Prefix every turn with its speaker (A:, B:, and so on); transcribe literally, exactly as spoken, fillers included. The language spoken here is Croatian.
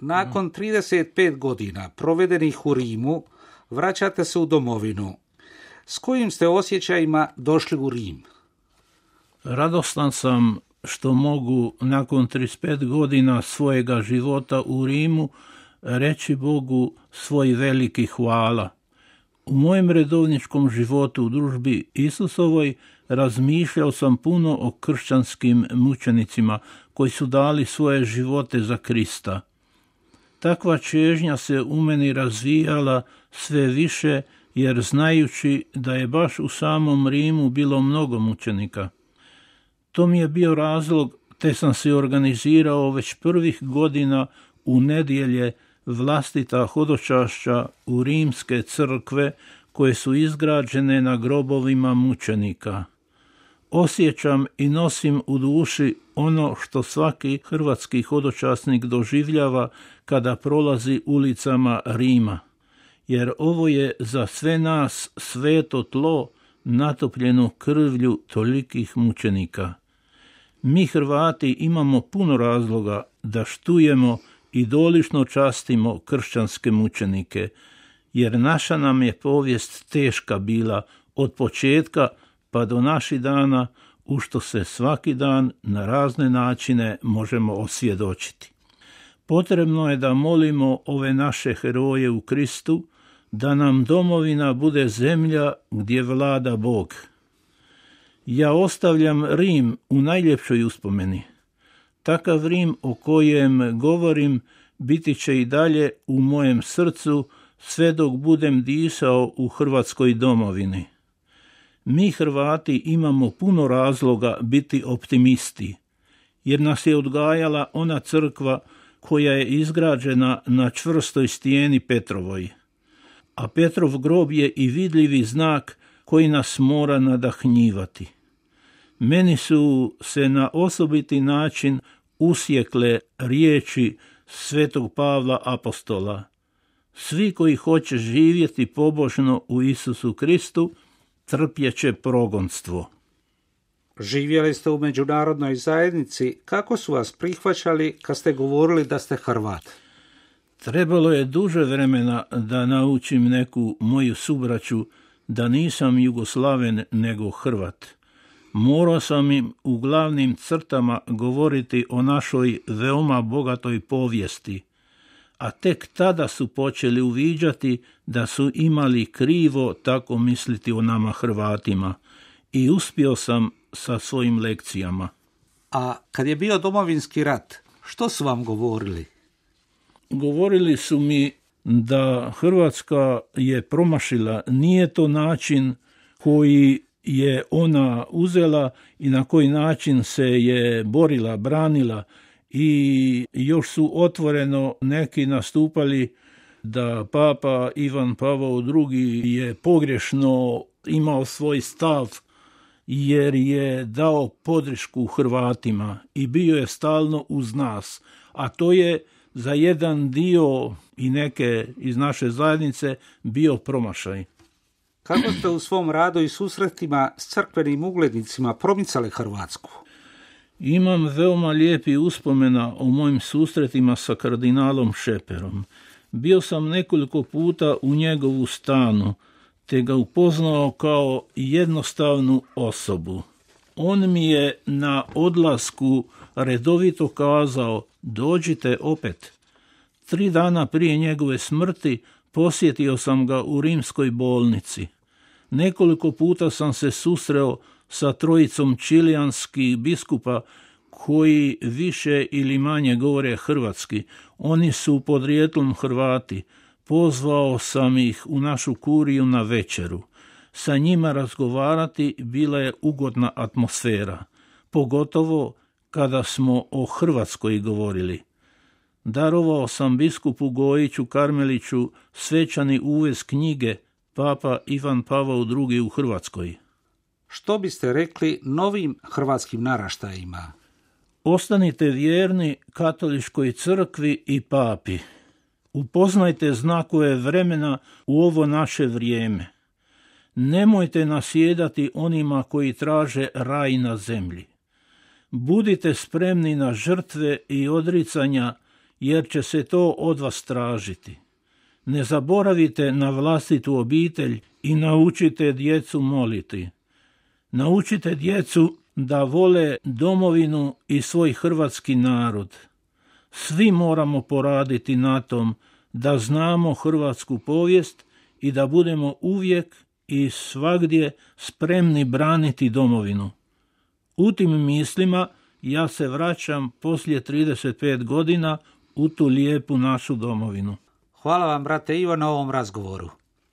A: Nakon trideset pet godina provedenih u Rimu, vraćate se u domovinu. S kojim ste osjećajima došli u Rim?
B: Radostan sam što mogu nakon trideset pet godina svojega života u Rimu reći Bogu svoj veliki hvala. U mojem redovničkom životu u družbi Isusovoj razmišljao sam puno o kršćanskim mučenicima koji su dali svoje živote za Krista. Takva čežnja se u meni razvijala sve više, jer znajući da je baš u samom Rimu bilo mnogo mučenika. To mi je bio razlog, te sam se organizirao već prvih godina u nedjelje vlastita hodočašća u rimske crkve koje su izgrađene na grobovima mučenika. Osjećam i nosim u duši ono što svaki hrvatski hodočasnik doživljava kada prolazi ulicama Rima, jer ovo je za sve nas sveto tlo natopljeno krvlju tolikih mučenika. Mi Hrvati imamo puno razloga da štujemo i dolično častimo kršćanske mučenike, jer naša nam je povijest teška bila od početka pa do naših dana, u što se svaki dan na razne načine možemo osvjedočiti. Potrebno je da molimo ove naše heroje u Kristu, da nam domovina bude zemlja gdje vlada Bog. Ja ostavljam Rim u najljepšoj uspomeni. Takav Rim o kojem govorim biti će i dalje u mojem srcu sve dok budem disao u Hrvatskoj domovini. Mi Hrvati imamo puno razloga biti optimisti, jer nas je odgajala ona crkva koja je izgrađena na čvrstoj stijeni Petrovoj. A Petrov grob je i vidljivi znak koji nas mora nadahnjivati. Meni su se na osobiti način usjekle riječi svetog Pavla apostola. Svi koji hoće živjeti pobožno u Isusu Kristu, trpjeće progonstvo.
A: Živjeli ste u međunarodnoj zajednici. Kako su vas prihvaćali kad ste govorili da ste Hrvat?
B: Trebalo je duže vremena da naučim neku moju subraću da nisam Jugoslaven nego Hrvat. Morao sam im u glavnim crtama govoriti o našoj veoma bogatoj povijesti, a tek tada su počeli uviđati da su imali krivo tako misliti o nama Hrvatima, i uspio sam sa svojim lekcijama.
A: A kad je bio domovinski rat, što su vam govorili?
B: Govorili su mi da Hrvatska je promašila, nije to način koji je ona uzela i na koji način se je borila, branila, i još su otvoreno neki nastupali da Papa Ivan Pavao drugi je pogrešno imao svoj stav jer je dao podršku Hrvatima i bio je stalno uz nas, a to je za jedan dio i neke iz naše zajednice bio promašaj.
A: Kako ste u svom radu i susretima s crkvenim uglednicima promicali Hrvatsku?
B: Imam veoma lijepi uspomena o mojim susretima sa kardinalom Šeperom. Bio sam nekoliko puta u njegovu stanu, te ga upoznao kao jednostavnu osobu. On mi je na odlasku redovito kazao: dođite opet. Tri dana prije njegove smrti posjetio sam ga u rimskoj bolnici. Nekoliko puta sam se susreo sa trojicom čilijanskih biskupa koji više ili manje govore hrvatski. Oni su podrijetlom Hrvati. Pozvao sam ih u našu kuriju na večeru. Sa njima razgovarati bila je ugodna atmosfera, pogotovo kada smo o Hrvatskoj govorili. Darovao sam biskupu Gojiću Karmeliću svečani uvez knjige Papa Ivan Pavao drugi u Hrvatskoj.
A: Što biste rekli novim hrvatskim naraštajima?
B: Ostanite vjerni katoličkoj crkvi i papi. Upoznajte znakove vremena u ovo naše vrijeme. Nemojte nasjedati onima koji traže raj na zemlji. Budite spremni na žrtve i odricanja, jer će se to od vas tražiti. Ne zaboravite na vlastitu obitelj i naučite djecu moliti. Naučite djecu da vole domovinu i svoj hrvatski narod. Svi moramo poraditi na tom da znamo hrvatsku povijest i da budemo uvijek i svagdje spremni braniti domovinu. U tim mislima ja se vraćam poslije trideset pet godina u tu lijepu našu domovinu.
A: Hvala vam, brate Ivo, na ovom razgovoru.